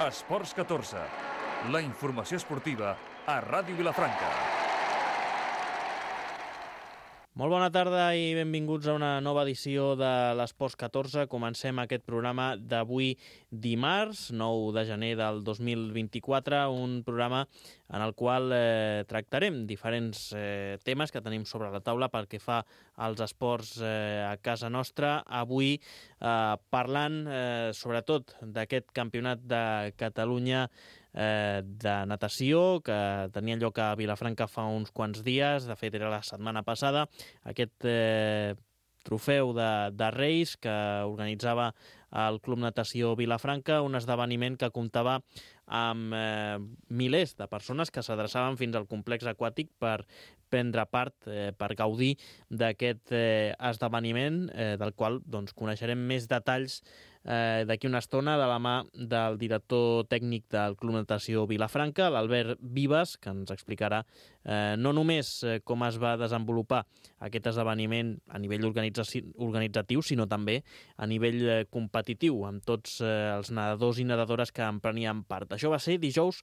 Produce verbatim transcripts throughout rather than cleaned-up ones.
Esports catorze, la informació esportiva a Ràdio Vilafranca. Molt bona tarda i benvinguts a una nova edició de l'Esports catorze. Comencem aquest programa d'avui dimarts, nou de gener del dos mil vint-i-quatre, un programa en el qual eh, tractarem diferents eh, temes que tenim sobre la taula pel que fa als esports eh, a casa nostra. Avui eh, parlant eh, sobretot d'aquest campionat de Catalunya eh, de natació que tenia lloc a Vilafranca fa uns quants dies, de fet era la setmana passada, aquest eh, trofeu de, de Reis que organitzava el Club Natació Vilafranca, un esdeveniment que comptava amb eh, milers de persones que s'adreçaven fins al complex aquàtic per prendre part, eh, per gaudir d'aquest eh, esdeveniment, eh, del qual doncs, coneixerem més detalls eh, d'aquí una estona de la mà del director tècnic del Club Natació Vilafranca, l'Albert Vives, que ens explicarà eh, no només eh, com es va desenvolupar aquest esdeveniment a nivell organitzatiu, sinó també a nivell eh, competitiu, amb tots eh, els nedadors i nedadores que en prenien part. Això va ser dijous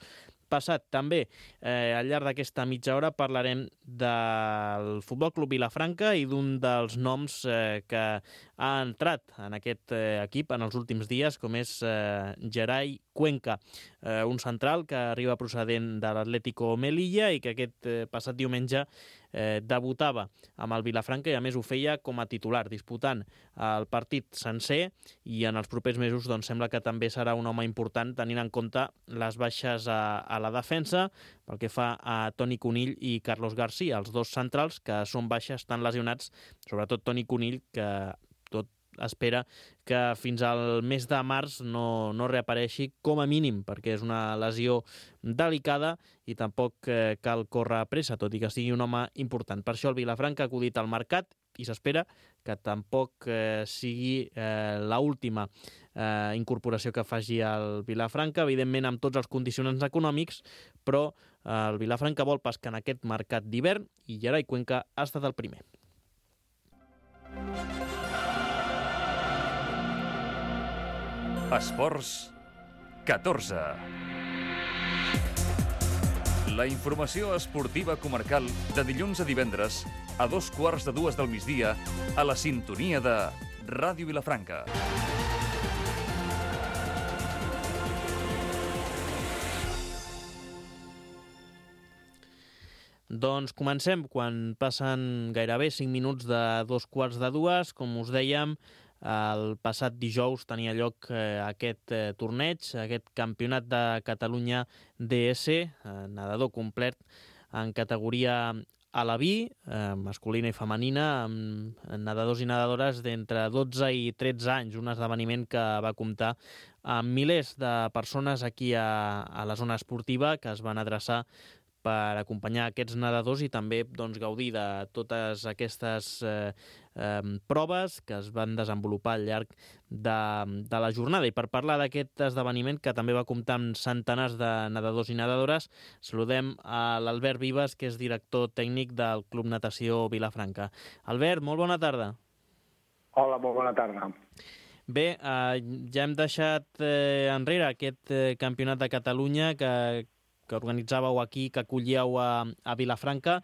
passat. També eh, al llarg d'aquesta mitja hora parlarem del Futbol Club Vilafranca i d'un dels noms eh, que ha entrat en aquest eh, equip en els últims dies, com és eh, Gerai Cuenca, eh, un central que arriba procedent de l'Atlético Melilla i que aquest eh, passat diumenge eh, debutava amb el Vilafranca i a més ho feia com a titular, disputant el partit sencer, i en els propers mesos doncs, sembla que també serà un home important tenint en compte les baixes a, a la defensa pel que fa a Toni Conill i Carlos García, els dos centrals que són baixes, estan lesionats, sobretot Toni Conill, que tot espera que fins al mes de març no, no reapareixi com a mínim, perquè és una lesió delicada i tampoc eh, cal córrer pressa, tot i que sigui un home important. Per això el Vilafranca ha acudit al mercat i s'espera que tampoc eh, sigui eh, l'última eh, incorporació que faci el Vilafranca, evidentment amb tots els condicionants econòmics, però eh, el Vilafranca vol pescar en aquest mercat d'hivern i Gerai Cuenca ha estat el primer. Esports catorze. La informació esportiva comarcal de dilluns a divendres a dos quarts de dues del migdia a la sintonia de Ràdio Vilafranca. Doncs comencem quan passen gairebé cinc minuts de dos quarts de dues. Com us dèiem, el passat dijous tenia lloc eh, aquest eh, torneig, aquest campionat de Catalunya D S, eh, nedador complet en categoria Alaví, eh, masculina i femenina, amb nedadors i nedadores d'entre dotze i tretze anys, un esdeveniment que va comptar amb milers de persones aquí a, a la zona esportiva que es van adreçar per acompanyar aquests nedadors i també doncs, gaudir de totes aquestes eh, eh, proves que es van desenvolupar al llarg de, de la jornada. I per parlar d'aquest esdeveniment, que també va comptar amb centenars de nedadors i nedadores, saludem a l'Albert Vives, que és director tècnic del Club Natació Vilafranca. Albert, molt bona tarda. Hola, molt bona tarda. Bé, eh, ja hem deixat eh, enrere aquest eh, campionat de Catalunya que que organitzàveu aquí, que acollíeu a, a Vilafranca.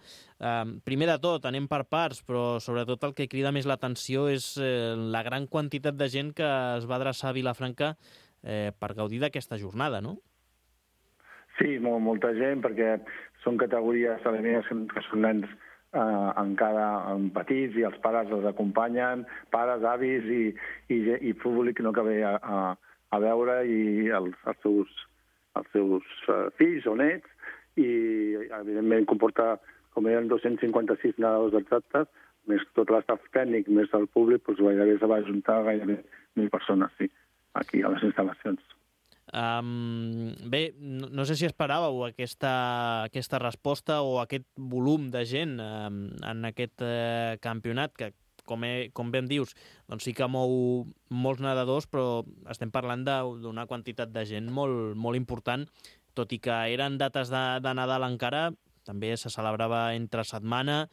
Eh, primer de tot, anem per parts, però sobretot el que crida més l'atenció és eh, la gran quantitat de gent que es va adreçar a Vilafranca eh, per gaudir d'aquesta jornada, no? Sí, molt, molta gent, perquè són categories femenines que són nens eh, encara en petits i els pares els acompanyen, pares, avis i, i, i públic no que ve a, a, a veure i els, els seus els seus uh, fills o nets, i evidentment comporta, com eren dos-cents cinquanta-sis nedadors exactes, més tot l'estaf tècnic, més el públic, doncs gairebé se va ajuntar gairebé mil persones, sí, aquí a les instal·lacions. Um, bé, no, no sé si esperàveu aquesta, aquesta resposta o aquest volum de gent um, en aquest uh, campionat, que com, he, com ben dius, doncs sí que mou molts nedadors, però estem parlant d'una quantitat de gent molt, molt important, tot i que eren dates de, de Nadal encara, també se celebrava entre setmana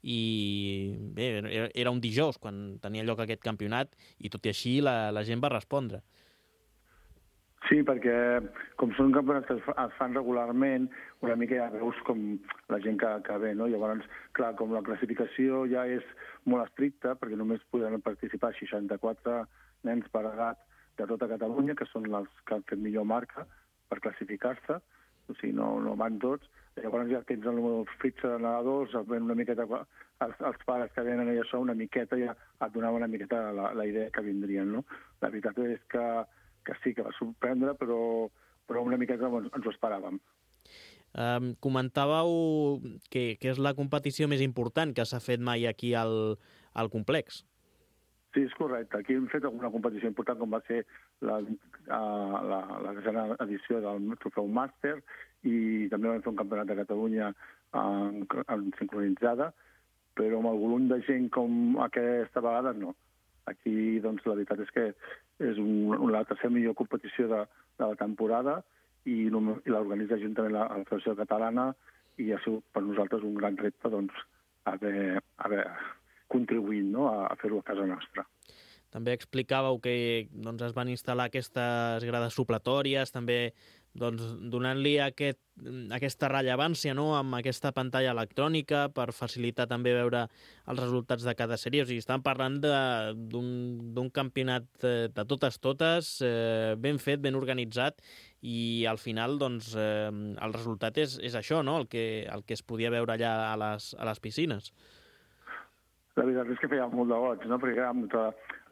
i bé, era un dijous quan tenia lloc aquest campionat i tot i així la, la gent va respondre. Sí, perquè com són campionats que es, es fan regularment, una mica ja veus com la gent que, que ve, no? Llavors, clar, com la classificació ja és molt estricta, perquè només podran participar seixanta-quatre nens per edat de tota Catalunya, que són els que han fet millor marca per classificar-se, o sigui, no, no van tots. Llavors ja tens el fitxa de nedadors, ven una miqueta, els, els pares que venen i això, una miqueta ja et donava una miqueta la, la idea que vindrien, no? La veritat és que, que sí, que va sorprendre, però, però una miqueta ens, ens ho esperàvem. Um, comentàveu que, que és la competició més important que s'ha fet mai aquí al, al complex. Sí, és correcte. Aquí hem fet alguna competició important, com va ser la, la, la desena edició del Trofeu Màster, i també vam fer un campionat de Catalunya en, en sincronitzada, però amb el volum de gent com aquesta vegada no. Aquí, doncs, la veritat és que és un, la tercera millor competició de, de la temporada i, i l'organitza juntament la, la Federació Catalana, i ha sigut per nosaltres un gran repte, doncs, haver, haver contribuint, no?, a, a fer-ho a casa nostra. També explicàveu que doncs, es van instal·lar aquestes grades supletòries, també doncs, donant-li aquest, aquesta rellevància, no?, amb aquesta pantalla electrònica per facilitar també veure els resultats de cada sèrie. O sigui, estàvem parlant d'un campionat de totes totes, eh, ben fet, ben organitzat, i al final doncs, eh, el resultat és, és això, no?, el que, el que es podia veure allà a les, a les piscines. La veritat és que feia molt de goig, no?, perquè amb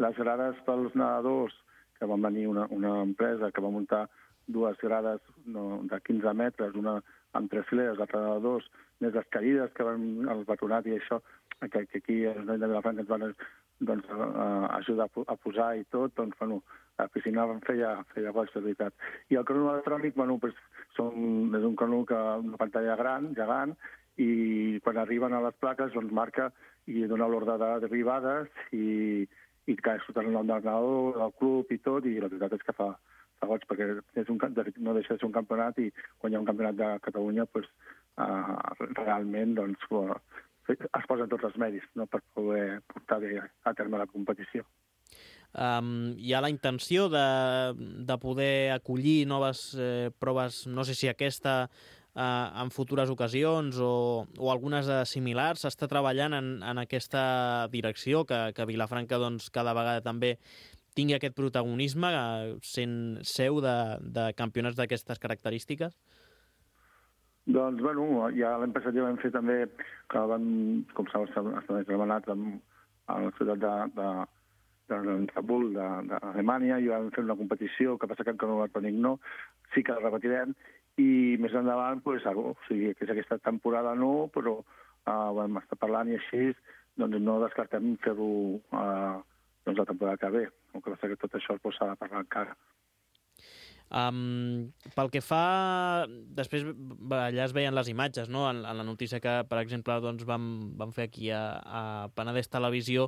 les grades pels nedadors, que van venir una, una empresa que va muntar dues grades no, de quinze metres, una amb tres fileres, l'altra de dos, més les caïdes que van al batonat i això, que, que aquí a l'Ajuntament de Vilafranca ens van doncs, ajudar a posar i tot, doncs, bueno, la piscina feia, feia goig, de veritat. I el crono electrònic, bueno, pues, són, és un crono que una pantalla gran, gegant, i quan arriben a les plaques, doncs, marca i dona l'ordre d'arribades i, i que surten el nom del nedador, del club i tot, i la veritat és que fa, fa goig, perquè és un, no deixa de ser un campionat, i quan hi ha un campionat de Catalunya, pues, uh, realment doncs, es posen tots els mèrits, no?, per poder portar bé a terme la competició. Um, hi ha la intenció de, de poder acollir noves eh, proves, no sé si aquesta Uh, en futures ocasions o, o algunes de similars. S'està treballant en, en aquesta direcció, que, que Vilafranca doncs, cada vegada també tingui aquest protagonisme, uh, sent seu de, de campionats d'aquestes característiques? Doncs, bueno, ja l'any passat ja vam fer també, que vam, com saps, estar demanat a la ciutat de, de, de Kabul, d'Alemanya, i vam fer una competició, que passa que encara no electrònic no, sí que la repetirem, i més endavant, pues, o sigui, que és aquesta temporada no, però uh, vam estar parlant i així, doncs no descartem fer-ho uh, doncs la temporada que ve. El que passa que tot això s'ha de parlar encara. Um, pel que fa... Després allà es veien les imatges, no?, en, en la notícia que, per exemple, doncs, vam, vam fer aquí a, a Penedès Televisió,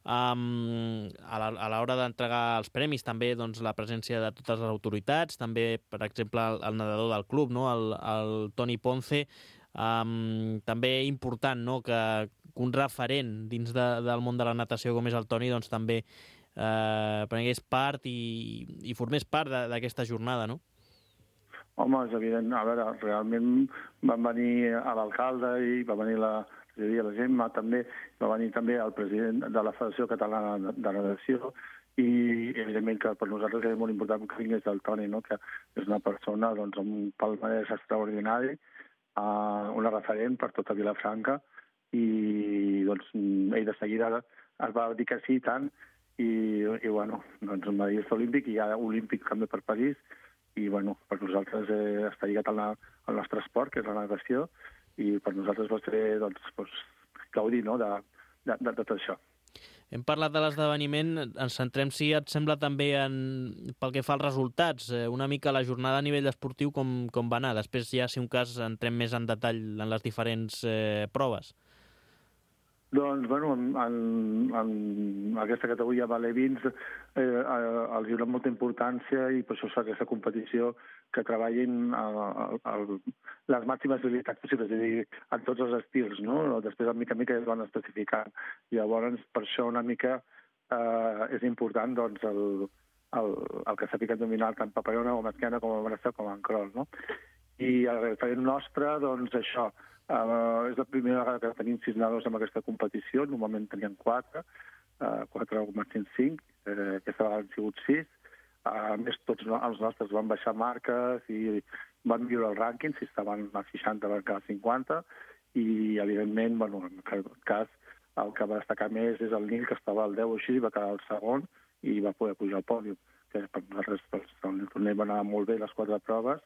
um, a l'hora d'entregar els premis, també doncs, la presència de totes les autoritats, també, per exemple, el, el nedador del club, no?, el, el Toni Ponce, um, també important, no?, que un referent dins de, del món de la natació com és el Toni, doncs també Eh, prengués part i, i formés part d'aquesta jornada, no? Home, és evident. A veure, realment van venir a l'alcalde i va venir la, la Gemma també, va venir també el president de la Federació Catalana de Natació, i evidentment que per nosaltres és molt important que vingués el Toni, no?, que és una persona doncs, amb un palmarès extraordinari, uh, una referent per tota Vilafranca, i doncs, ell de seguida es va dir que sí tant, i, i bueno, doncs un medallista olímpic, i hi ha olímpic també per París, i bueno, per nosaltres eh, està lligat al, al nostre esport, que és la natació, i per nosaltres va ser, doncs, doncs gaudir, no?, de, de, de tot això. Hem parlat de l'esdeveniment, ens centrem, si et sembla, també en, pel que fa als resultats, eh, una mica la jornada a nivell esportiu com, com va anar. Després ja, si un cas, entrem més en detall en les diferents eh, proves. Doncs, bueno, en, en, en aquesta categoria valevins eh, els hi dona molta importància, i per això és aquesta competició que treballin a, a, a les màximes habilitats possibles, és a dir, en tots els estils, no? Després, a mica a mica, es van especificant. Llavors, per això una mica eh, és important doncs, el, el, el que s'ha ficat dominar tant Papallona com Esquena, com a Benestar, com a Encrol, no? I el referent nostre, doncs això, eh, és la primera vegada que tenim sis nedadors en aquesta competició, normalment teníem quatre, eh, quatre o màxim cinc, eh, aquesta vegada han sigut sis. A més, tots els nostres van baixar marques i van viure el rànquing, si estaven a seixanta van quedar a cinquanta, i evidentment, bueno, en aquest cas, el que va destacar més és el Nil, que estava al deu o així, va quedar el segon i va poder pujar al pòdium, que per nosaltres el torneig va anar molt bé les quatre proves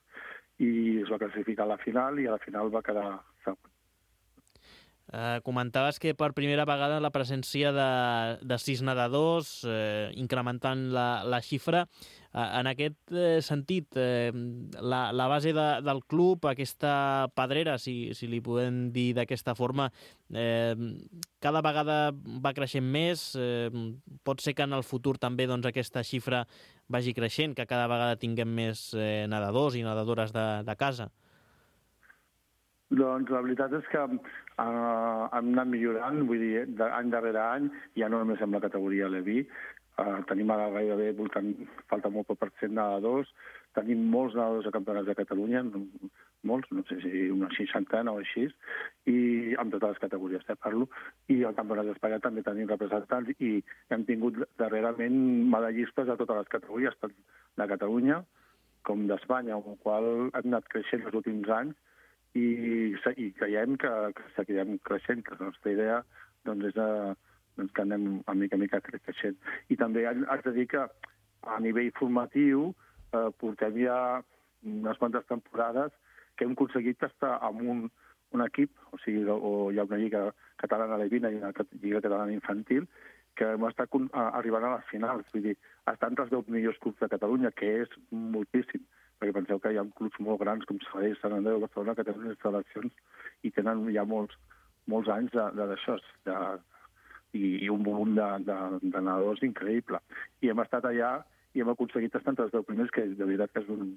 i es va classificar a la final i a la final va quedar segon. Eh, comentaves que per primera vegada la presència de, de sis nedadors, eh, incrementant la, la xifra. Eh, en aquest eh, sentit, eh, la, la base de, del club, aquesta pedrera, si, si li podem dir d'aquesta forma, eh, cada vegada va creixent més. Eh, pot ser que en el futur també doncs, aquesta xifra vagi creixent, que cada vegada tinguem més eh, nedadors i nedadores de, de casa. Doncs la veritat és que uh, hem anat millorant, vull dir, any darrere any, ja no només amb la categoria Leví, uh, tenim ara gairebé, voltant, falta molt poc per cent nedadors, tenim molts nedadors a campionats de Catalunya, molts, no sé si una seixantena o així, i amb totes les categories, eh, parlo, i al Campionat d'Espanya també tenim representants i hem tingut darrerament medallistes a totes les categories, tant de Catalunya com d'Espanya, amb el qual hem anat creixent els últims anys, i, i creiem que, que seguirem creixent, que la nostra idea doncs, és a, doncs, que anem a mica a mica creixent. I també haig de dir que a nivell formatiu eh, portem ja unes quantes temporades que hem aconseguit estar amb un, un equip, o sigui, o hi ha una lliga catalana levina i una lliga catalana infantil, que hem estat arribant a les finals. Vull dir, estar entre els deu millors clubs de Catalunya, que és moltíssim, perquè penseu que hi ha clubs molt grans com Sabadell, Sant Andreu, Barcelona, que tenen instal·lacions i tenen ja molts, molts anys d'això, i, i un volum de, de, de nedadors increïble. I hem estat allà i hem aconseguit estar entre els deu primers, que de veritat que és un...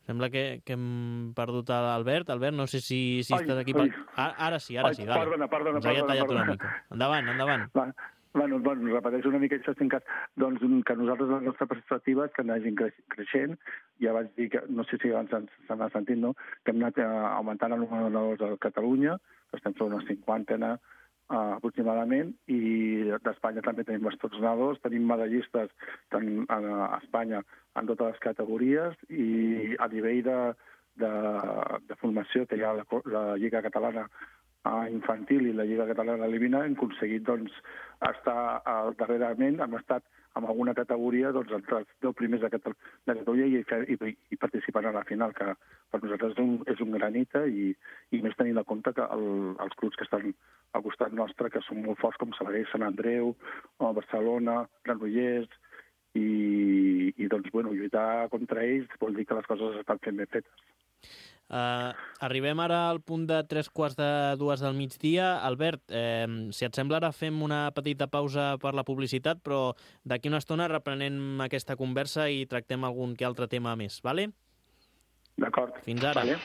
Sembla que, que hem perdut l'Albert. Albert, no sé si, si ai, estàs aquí... Ai. Ara, ara sí, ara ai, sí. Dale. Perdona, perdona, Ens havia perdona, tallat perdona. una mica. Endavant, endavant. Va. Bueno, bueno, repeteixo una mica això, en cas, doncs que nosaltres la nostra perspectiva és que anagin creixent. Ja vaig dir que, no sé si abans se n'ha sentit, no?, que hem anat augmentant el número de nedadors a Catalunya, que estem fent una cinquantena uh, aproximadament, i d'Espanya també tenim bastants nedadors, tenim medallistes tant a Espanya en totes les categories, i a nivell de, de, de formació que hi ha la, la Lliga Catalana infantil i la Lliga Catalana Levina, hem aconseguit doncs, estar uh, darrerament, hem estat en alguna categoria doncs, entre els deu primers de, Catal de Catalunya i, i, i participant a la final, que per nosaltres és un, és un granita, i, i més tenint en compte que el, els clubs que estan al costat nostre, que són molt forts, com Sabadell, Sant Andreu, o Barcelona, Granollers, i, i doncs, bueno, lluitar contra ells vol dir que les coses estan fent ben fetes. Uh, arribem ara al punt de tres quarts de dues del migdia. Albert, eh, si et sembla, ara fem una petita pausa per la publicitat, però d'aquí una estona reprenem aquesta conversa i tractem algun que altre tema més, vale? D'acord. Fins ara. Vale.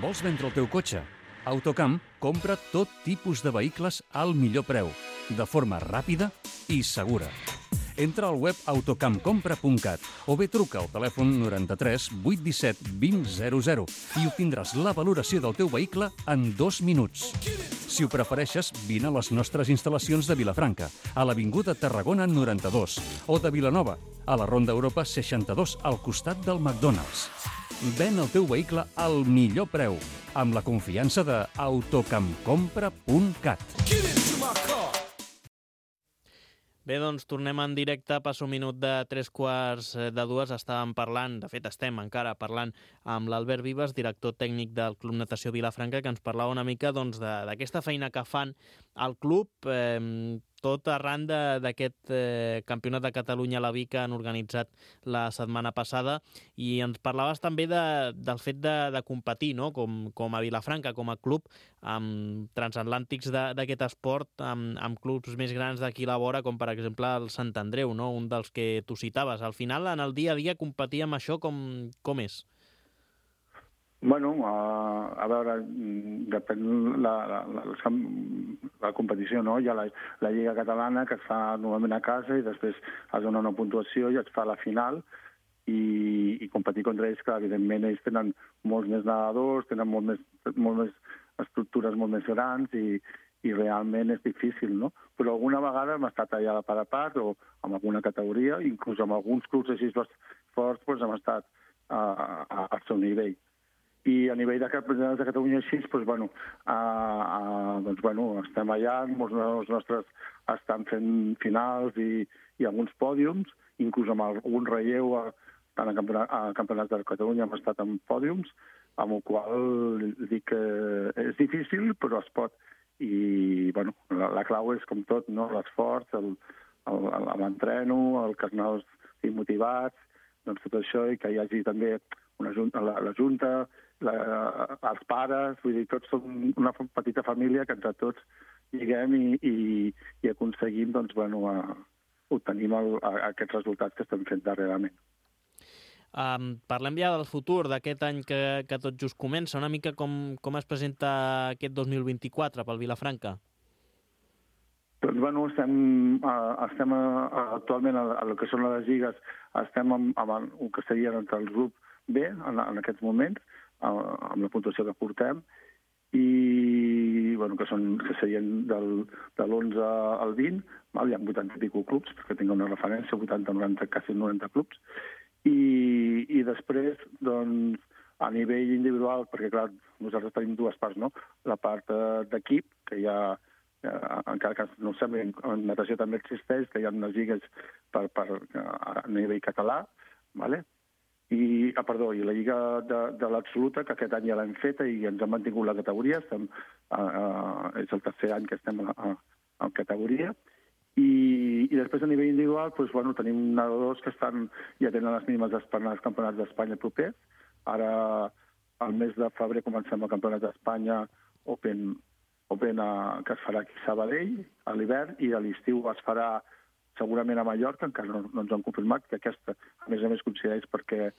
Vols vendre el teu cotxe? Autocamp compra tot tipus de vehicles al millor preu, de forma ràpida i segura. Entra al web autocampcompra punt cat o bé truca al telèfon noranta-tres vuit disset vint zero zero i obtindràs la valoració del teu vehicle en dos minuts. Si ho prefereixes, vine a les nostres instal·lacions de Vilafranca, a l'Avinguda Tarragona noranta-dos, o de Vilanova, a la Ronda Europa seixanta-dos, al costat del McDonald's. Ven el teu vehicle al millor preu, amb la confiança de autocampcompra punt cat. Bé, doncs tornem en directe, passa un minut de tres quarts de dues. Estàvem parlant, de fet estem encara parlant amb l'Albert Vives, director tècnic del Club Natació Vilafranca, que ens parlava una mica doncs, d'aquesta feina que fan al club, eh, tot arran d'aquest eh, Campionat de Catalunya a la Vic que han organitzat la setmana passada, i ens parlaves també de, del fet de, de competir, no?, com, com a Vilafranca, com a club, amb transatlàntics d'aquest esport, amb, amb clubs més grans d'aquí a la vora, com per exemple el Sant Andreu, no?, un dels que tu citaves. Al final, en el dia a dia, competir amb això com, com és? Bueno, a, a veure, depèn la, la, la, la competició, no? Hi ha la, la Lliga Catalana, que es fa normalment a casa, i després es dona una puntuació i es fa la final, i, i competir contra ells, que evidentment ells tenen molts més nedadors, tenen molt més, molt més estructures molt més grans, i, i realment és difícil, no? Però alguna vegada hem estat allà a la part a part, o amb alguna categoria, inclús amb alguns clubs així forts, doncs hem estat a, a, al seu nivell. I a nivell de campionats de Catalunya així, doncs, bueno, a, a, doncs, bueno, estem allà, molts dels nostres estan fent finals i, i alguns pòdiums, inclús amb algun relleu, a, tant a, campionat, a campionats de Catalunya hem estat en pòdiums, amb el qual dic que és difícil, però es pot. I bueno, la, la clau és com tot, no? L'esforç, l'entreno, el que els nanos estiguin motivats, doncs tot això, i que hi hagi també una junta, la, la junta, La, els pares, vull dir, tots som una petita família que entre tots lliguem i, i, i aconseguim, doncs, bueno, a, obtenim el, a, aquests resultats que estem fent darrerament. Um, parlem ja del futur, d'aquest any que, que tot just comença. Una mica com, com es presenta aquest dos mil vint-i-quatre pel Vilafranca? Doncs, bueno, estem, uh, estem uh, actualment a, a el que són les lligues, estem amb, amb el que seria entre el grup B en, en aquests moments, amb la puntuació que portem, i bueno, que, són, que serien del, de l'onze al vint, val? Hi ha vuitanta i pico clubs, perquè tinc una referència, vuitanta, noranta, quasi noranta clubs, i, i després, doncs, a nivell individual, perquè clar, nosaltres tenim dues parts, no? La part eh, d'equip, que hi ha, eh, encara que no ho sembli, en natació també existeix, que hi ha unes lligues per, per, a nivell català, vale? I, ah, perdó, i la Lliga de, de l'Absoluta, que aquest any ja l'hem feta i ens han mantingut la categoria, estem, uh, uh, és el tercer any que estem a, a, a categoria, i, i després a nivell individual, doncs, bueno, tenim nedadors que estan, ja tenen les mínimes d'esperar els campionats d'Espanya propers. Ara, al mes de febrer, comencem el campionat d'Espanya Open, Open a, que es farà aquí a Sabadell a l'hivern, i a l'estiu es farà segurament a Mallorca, encara no, no ens han confirmat, que aquesta, a més a més, coincideix perquè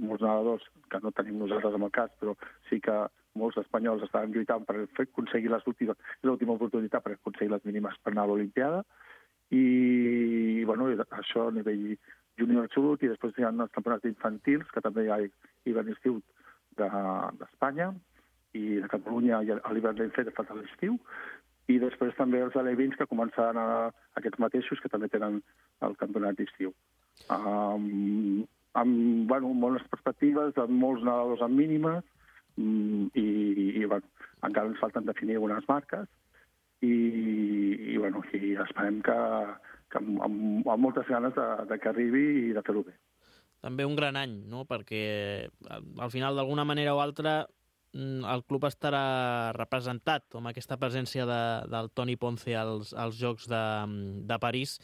molts nedadors, que no tenim nosaltres en el cas, però sí que molts espanyols estaven lluitant per fer, aconseguir l'última oportunitat per aconseguir les mínimes per anar a l'Olimpiada, i bueno, això a nivell júnior absolut, i després hi ha els campionats infantils, que també hi ha hivern i estiu d'Espanya, i de Catalunya a l'hivern l'hem fet a l'estiu, i després també els alevins que començaran a, aquests mateixos que també tenen el campionat d'estiu. Um, amb bueno, bones perspectives, amb molts nedadors amb mínimes, um, i, i bueno, encara ens falten definir algunes marques, i, i, bueno, i esperem que, que amb, amb, amb moltes ganes de, de que arribi i de fer-ho bé. També un gran any, no? Perquè al final, d'alguna manera o altra, el club estarà representat amb aquesta presència de, del Toni Ponce als, als Jocs de, de París,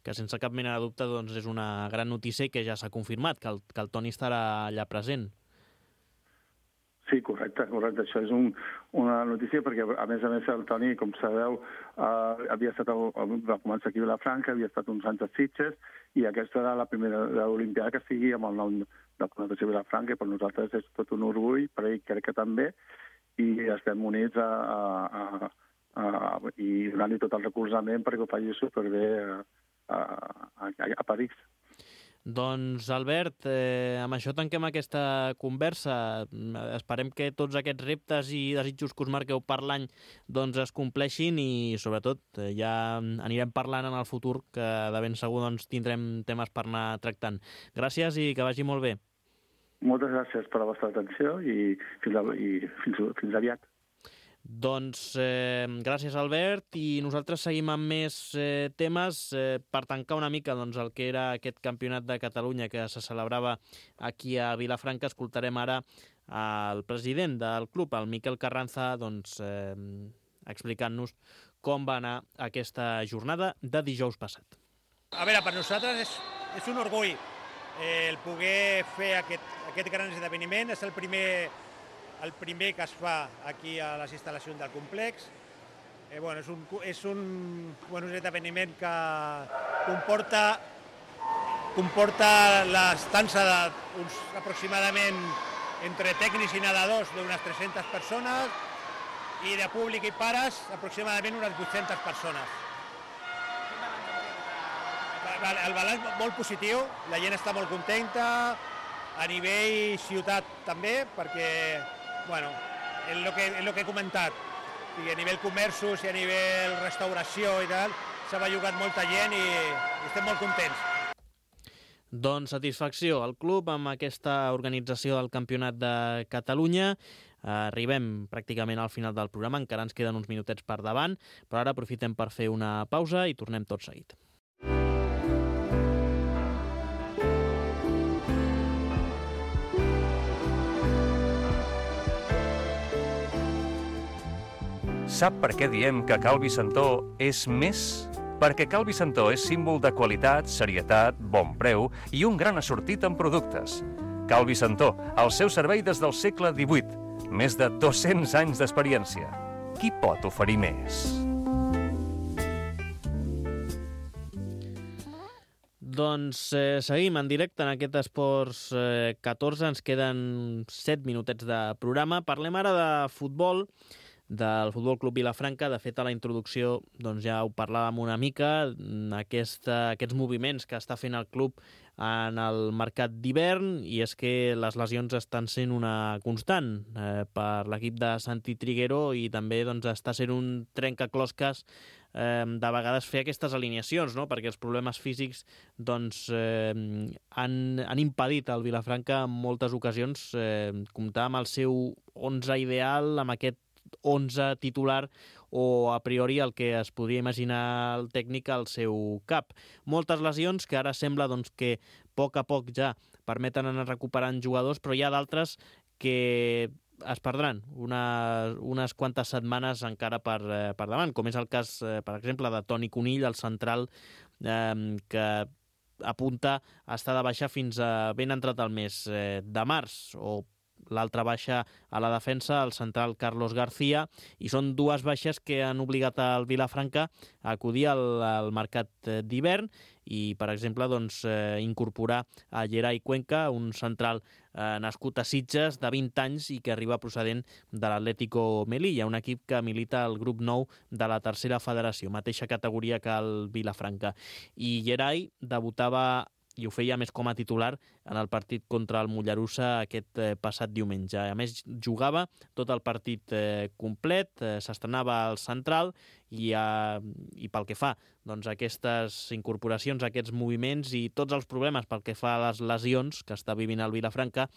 que sense cap mena de dubte doncs, és una gran notícia i que ja s'ha confirmat, que el, que el Toni estarà allà present. Sí, correcte, correcte. Això és un, una notícia perquè, a més a més, el Toni, com sabeu, eh, havia estat, va començar aquí a Vilafranca, havia estat uns anys a Sitges, i aquesta era la primera Olimpiada que sigui amb el nom de la Natació Vilafranca, i per nosaltres és tot un orgull, per ell crec que també, i estem units a, a, a, a, i donant-li tot el recolzament perquè ho faci superbé a, a, a París. Doncs, Albert, eh, amb això tanquem aquesta conversa. Esperem que tots aquests reptes i desitjos que us marqueu per l'any doncs, es compleixin i, sobretot, eh, ja anirem parlant en el futur, que de ben segur doncs, tindrem temes per anar tractant. Gràcies i que vagi molt bé. Moltes gràcies per la vostra atenció i fins, a, i fins, fins aviat. Doncs eh, gràcies, Albert, i nosaltres seguim amb més eh, temes eh, per tancar una mica doncs, el que era aquest campionat de Catalunya que se celebrava aquí a Vilafranca. Escoltarem ara el president del club, el Miquel Carranza, doncs, eh, explicant-nos com va anar aquesta jornada de dijous passat. A veure, per nosaltres és, és un orgull eh, el poder fer aquest, aquest gran esdeveniment. És el primer... el primer que es fa aquí a les instal·lacions del complex. Eh, bueno, és un, és un, bueno, un esdeveniment que comporta, comporta l'estança d'uns aproximadament entre tècnics i nedadors d'unes tres-centes persones i de públic i pares aproximadament unes vuit-centes persones. El balanç molt positiu, la gent està molt contenta, a nivell ciutat també, perquè, bueno, és el que, és el que he comentat, i a nivell comerços i a nivell restauració i tal, s'ha bellugat molta gent i, i estem molt contents. Doncs satisfacció al club amb aquesta organització del Campionat de Catalunya. Arribem pràcticament al final del programa, encara ens queden uns minutets per davant, però ara aprofitem per fer una pausa i tornem tot seguit. Sap per què diem que Cal Vicentó és més? Perquè Cal Vicentó és símbol de qualitat, serietat, bon preu i un gran assortit en productes. Cal Vicentó, al seu servei des del segle divuit, més de dos-cents anys d'experiència. Qui pot oferir més? Doncs eh, seguim en directe en aquest Esports eh, catorze, ens queden set minutets de programa. Parlem ara de futbol, del Futbol Club Vilafranca. De fet, a la introducció doncs ja ho parlàvem una mica, aquesta, aquests moviments que està fent el club en el mercat d'hivern, i és que les lesions estan sent una constant eh, per l'equip de Santi Triguero, i també doncs, està sent un trencaclosques eh, de vegades fer aquestes alineacions, no? Perquè els problemes físics doncs, eh, han, han impedit al Vilafranca en moltes ocasions eh, comptar amb el seu onze ideal, amb aquest onze titular, o a priori el que es podria imaginar el tècnic al seu cap. Moltes lesions que ara sembla doncs, que a poc a poc ja permeten anar recuperant jugadors, però hi ha d'altres que es perdran una, unes quantes setmanes encara per, eh, per davant, com és el cas, eh, per exemple, de Toni Conill, el central, eh, que apunta a estar de baixa fins a ben entrat el mes eh, de març, o l'altra baixa a la defensa, el central Carlos García, i són dues baixes que han obligat al Vilafranca a acudir al, al mercat d'hivern i, per exemple, doncs, eh, incorporar a Gerai Cuenca, un central eh, nascut a Sitges, de vint anys i que arriba procedent de l'Atlético Melilla, un equip que milita al grup nou de la tercera federació, mateixa categoria que el Vilafranca. I Gerai debutava i ho feia més com a titular en el partit contra el Mollerussa aquest eh, passat diumenge. A més, jugava tot el partit eh, complet, eh, s'estrenava al central i, eh, i pel que fa doncs, aquestes incorporacions, aquests moviments i tots els problemes pel que fa a les lesions que està vivint el Vilafranca,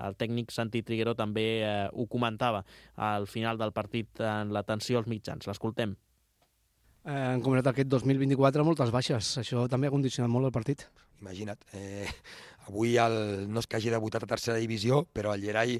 el tècnic Santi Triguero també eh, ho comentava al final del partit en l'atenció als mitjans. L'escoltem. Eh, en concret aquest dos mil vint-i-quatre moltes baixes, això també ha condicionat molt el partit. Imagina't, eh, avui el, no és que hagi debutat a tercera divisió, però el Gerai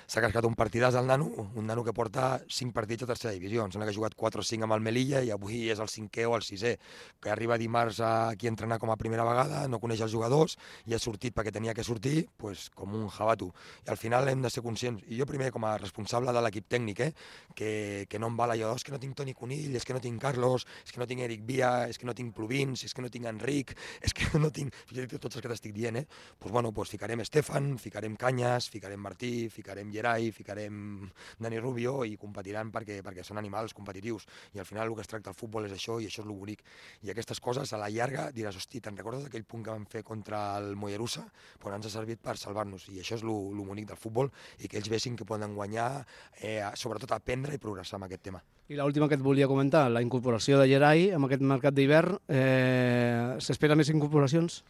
s'ha cascat un partidàs al nano, un nano que porta cinc partits a tercera divisió. Em sembla que ha jugat quatre o cinc amb el Melilla i avui és el cinquè o el sisè, que arriba dimarts aquí a entrenar com a primera vegada, no coneix els jugadors i ha sortit perquè tenia que sortir, pues, com un jabato. I al final hem de ser conscients, i jo primer com a responsable de l'equip tècnic, eh, que, que no em val allò, és que no tinc Toni Conill, és que no tinc Carlos, és que no tinc Eric Via, és que no tinc Pluvins, és que no tinc Enric, és que no tinc... tots els que t'estic dient, eh? Pues, bueno, pues, ficarem Estefan, ficarem Canyes, ficarem Martí, ficarem Gerai, ficarem Dani Rubio i competiran perquè, perquè són animals competitius. I al final el que es tracta al futbol és això i això és lo bonic. I aquestes coses a la llarga diràs, hosti, te'n recordes d'aquell punt que vam fer contra el Mollerussa? Pues ens ha servit per salvar-nos i això és lo, lo bonic del futbol i que ells vessin que poden guanyar, eh, sobretot aprendre i progressar amb aquest tema. I l'última que et volia comentar, la incorporació de Gerai amb aquest mercat d'hivern, eh, s'espera més incorporacions?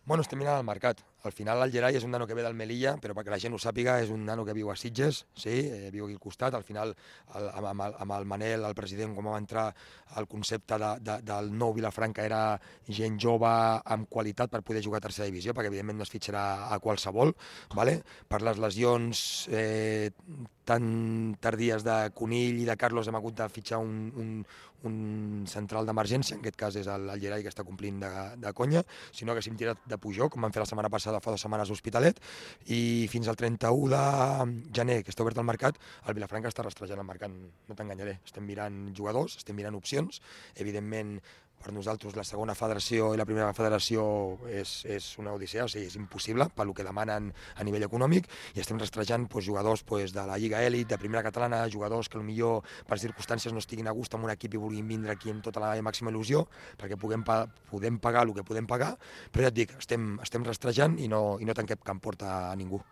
Bueno, estem mirant el mercat. Al final el Gerai és un nano que ve del Melilla, però perquè la gent ho sàpiga és un nano que viu a Sitges, sí, eh, viu aquí al costat. Al final, el, amb, amb, el, amb el Manel, el president, com va entrar el concepte de, de, del nou Vilafranca era gent jove amb qualitat per poder jugar a tercera divisió, perquè evidentment no es fitxarà a qualsevol, vale? Per les lesions eh, tan tardies de Conill i de Carlos hem hagut de fitxar un, un, un central d'emergència, en aquest cas és el, el Gerai que està complint de, de conya, sinó que s'hem tirat de pujó, com vam fer la setmana passada fa dues setmanes a Hospitalet, i fins al trenta-u de gener, que està obert al mercat, el Vilafranca està rastrejant el mercat, no t'enganyaré, estem mirant jugadors, estem mirant opcions, evidentment per nosaltres la segona federació i la primera federació és, és una odissea, o sigui, és impossible pel que demanen a nivell econòmic, i estem rastrejant pues, jugadors pues, de la Lliga Elit, de primera catalana, jugadors que potser per circumstàncies no estiguin a gust amb un equip i vulguin vindre aquí amb tota la màxima il·lusió, perquè puguem, pa podem pagar el que podem pagar, però ja et dic, estem, estem rastrejant i no, i no tanquem cap porta a ningú.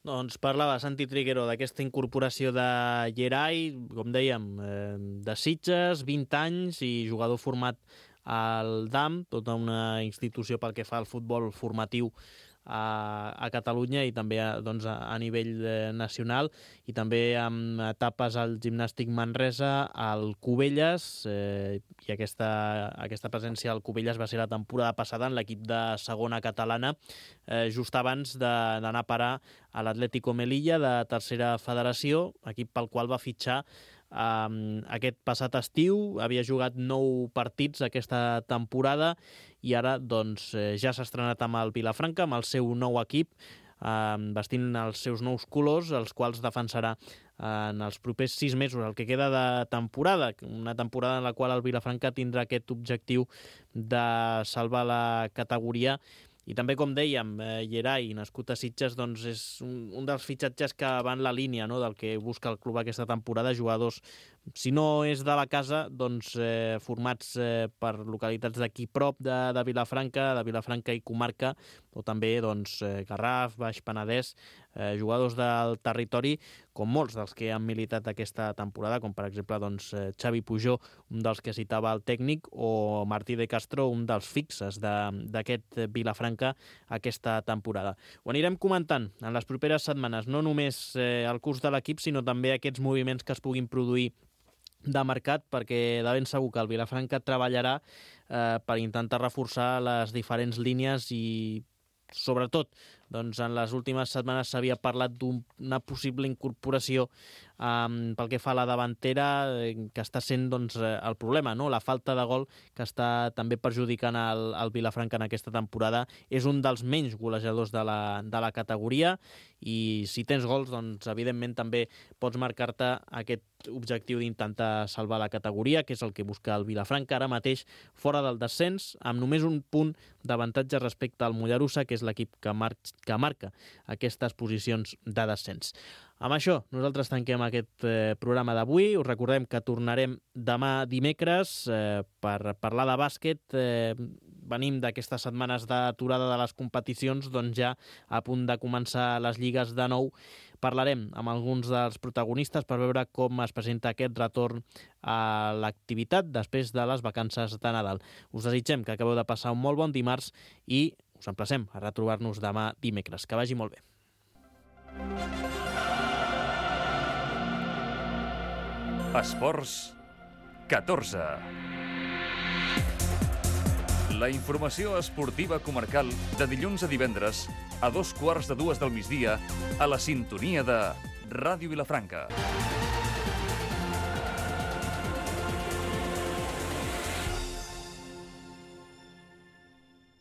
Doncs parlava Santi Triguero d'aquesta incorporació de Gerai, com dèiem, eh, de Sitges, vint anys i jugador format al D A M, tota una institució pel que fa al futbol formatiu a, a Catalunya i també a, doncs, a, a nivell eh, nacional, i també amb etapes al Gimnàstic Manresa, al Cubelles, eh, i aquesta, aquesta presència al Cubelles va ser la temporada passada en l'equip de segona catalana, eh, just abans d'anar a parar a l'Atlético Melilla de tercera federació, equip pel qual va fitxar Um, aquest passat estiu. Havia jugat nou partits aquesta temporada i ara doncs, eh, ja s'ha estrenat amb el Vilafranca, amb el seu nou equip, um, vestint els seus nous colors, els quals defensarà uh, en els propers sis mesos, el que queda de temporada, una temporada en la qual el Vilafranca tindrà aquest objectiu de salvar la categoria. I també, com dèiem, eh, Gerai, nascut a Sitges, doncs és un, un dels fitxatges que va en la línia, no?, del que busca el club aquesta temporada, jugadors, si no és de la casa, doncs eh, formats eh, per localitats d'aquí prop de, de Vilafranca, de Vilafranca i comarca, o també doncs, eh, Garraf, Baix Penedès, eh, jugadors del territori, com molts dels que han militat aquesta temporada, com per exemple doncs, eh, Xavi Pujó, un dels que citava el tècnic, o Martí de Castro, un dels fixes d'aquest Vilafranca aquesta temporada. Ho anirem comentant en les properes setmanes, no només eh, el curs de l'equip, sinó també aquests moviments que es puguin produir de mercat, perquè de ben segur que el Vilafranca treballarà eh, per intentar reforçar les diferents línies i, sobretot, doncs en les últimes setmanes s'havia parlat d'una possible incorporació um, pel que fa a la davantera, eh, que està sent doncs, el problema, no? La falta de gol que està també perjudicant el, el Vilafranca en aquesta temporada. És un dels menys golejadors de la, de la categoria, i si tens gols, doncs evidentment també pots marcar-te aquest objectiu d'intentar salvar la categoria, que és el que busca el Vilafranca ara mateix fora del descens, amb només un punt d'avantatge respecte al Mollerussa, que és l'equip que, mar que marca aquestes posicions de descens. Amb això, nosaltres tanquem aquest eh, programa d'avui. Us recordem que tornarem demà dimecres eh, per parlar de bàsquet. Eh, venim d'aquestes setmanes d'aturada de les competicions, doncs ja a punt de començar les lligues de nou. Parlarem amb alguns dels protagonistes per veure com es presenta aquest retorn a l'activitat després de les vacances de Nadal. Us desitgem que acabeu de passar un molt bon dimarts i us emplacem a retrobar-nos demà dimecres. Que vagi molt bé. Esports catorze. La informació esportiva comarcal de dilluns a divendres a dos quarts de dues del migdia a la sintonia de Ràdio Vilafranca.